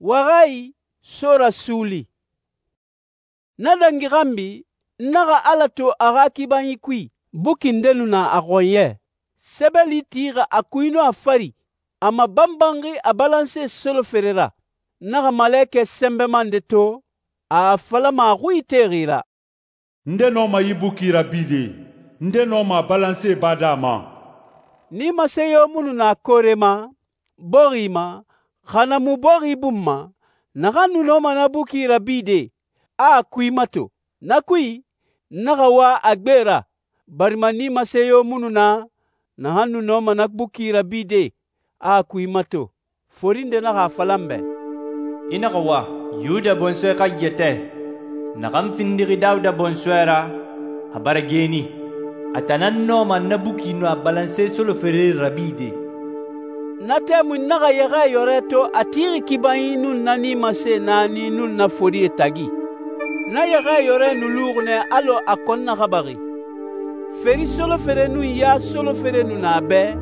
Waxayi, so rasuuli. Na dangi xanbi, n naxa Ala to a xa kibanyi kui. Buki nde nu na a xɔnyɛ. Sɛbɛli tixi a kui nun a fari, a mabanbanxi a balanse solofere ra. N naxa malekɛ sɛnbɛma nde to, a a falama a xui itexi ra, «Nde nɔma yi buki rabide? Nde nɔma a balanse bade a ma?» Nimase yo mu nu na koore ma, bɔxi ma, xa na mu bɔxi bun ma, naxan nu nɔma na buki rabide, a a kui mato. Na kui, n naxa wa a gbe ra, barima nimase yo mu nu na naxan nu nɔma na buki rabide, a a kui mato. Fori nde naxa a fala n bɛ, «I naxa wa, Yuda bɔnsɔɛ xa yɛtɛ, naxan findixi Dawuda bɔnsɔɛ ra, a bara geeni. A tan nan nɔma na buki nun a balanse solofere rabide.» Na tɛmui n naxa Yɛxɛɛyɔrɛ to a tixi kibanyi nun na nimase naani nun na forie tagi. Na Yɛxɛɛyɔrɛ nu luxi nɛ alɔ a kɔn naxabaxi. Feri solofere nun ya solofere nu na a bɛ,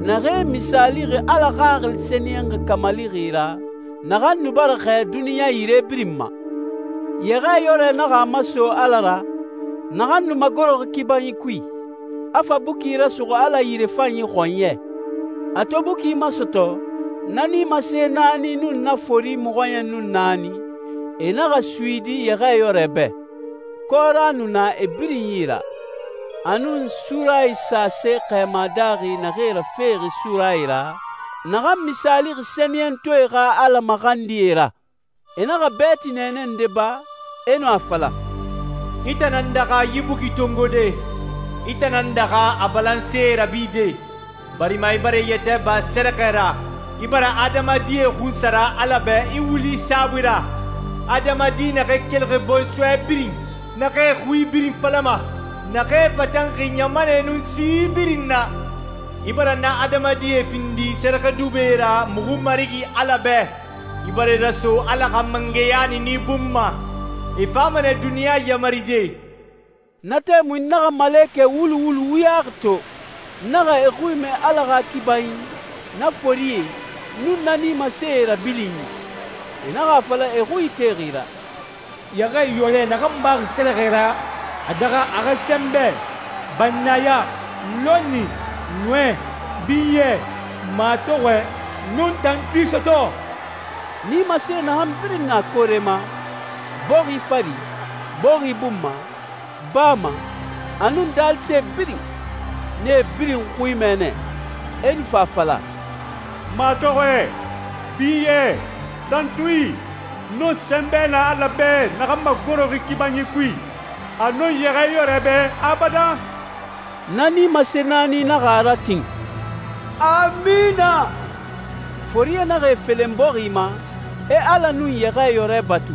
naxee misaalixi Ala Xaxili Sɛniyɛnxi kamalixi ra, naxan nu bara xɛɛ duniɲa yire birin ma. Yɛxɛɛyɔrɛ naxa a maso Ala ra, naxan nu magoroxi kibanyi kui, a fa buki rasuxu Ala yirefanyi xɔnyɛ. A to buki masɔtɔ, na nimase naani nun na fori mɔxɔɲɛn nun naani, e naxa suyidi Yɛxɛɛyɔrɛ bɛ. Kɔra nu na e birin yi ra, a nun surayi sase xɛɛma daaxi naxee rafexi surayi ra, naxan misaalixi sɛniyɛntɔɛe xa Ala maxandie ra. E naxa bɛɛti nɛɛnɛ nde ba, e nu a fala, «I tan nan daxa yi buki tongode, i tan nan daxa a balanse rabide, barima i bara i yɛtɛ ba sɛrɛxɛ ra, i bara adamadie xunsara Ala bɛ i wuli saabui ra. Adamadi naxee kelixi bɔnsɔɛ birin, naxee xui birin falama, naxee fatanxi ɲamanɛ nun si birin na. I bara na adamadie findi sɛrɛxɛdubɛe ra muxu Marigi Ala bɛ. I bara i raso Ala xa mangɛya nin i bun ma. I fama nɛ duniɲa yamaride.» Na tɛmui n naxa malekɛ wulu wulu wuyaxi to, n naxa e xui mɛ Ala xa kibanyi, na forie, nun na nimasee rabilinyi. E naxa a fala e xui itexi ra, «Yɛxɛɛyɔrɛ naxan baxi sɛrɛxɛ ra, a daxa a xa sɛnbɛ, bannaya, lɔnni, ɲɔɛ, binyɛ, matɔxɔɛ, nun tantui sɔtɔ.» Nimase naxan birin na koore ma, bɔxi fari, bɔxi bun ma, baa ma, a nun daalise birin, nee birin xui mɛnɛ, e nu fa fala, «Matɔxɔɛ, binyɛ, tantui, nun sɛnbɛ na Ala bɛ naxan magoroxi kibanyi kui, a nun Yɛxɛɛyɔrɛ bɛ abadan.» Na nimase naani naxa a ratin, «Amina!» Forie naxa e felen bɔxi ma, e Ala nun Yɛxɛɛyɔrɛ batu.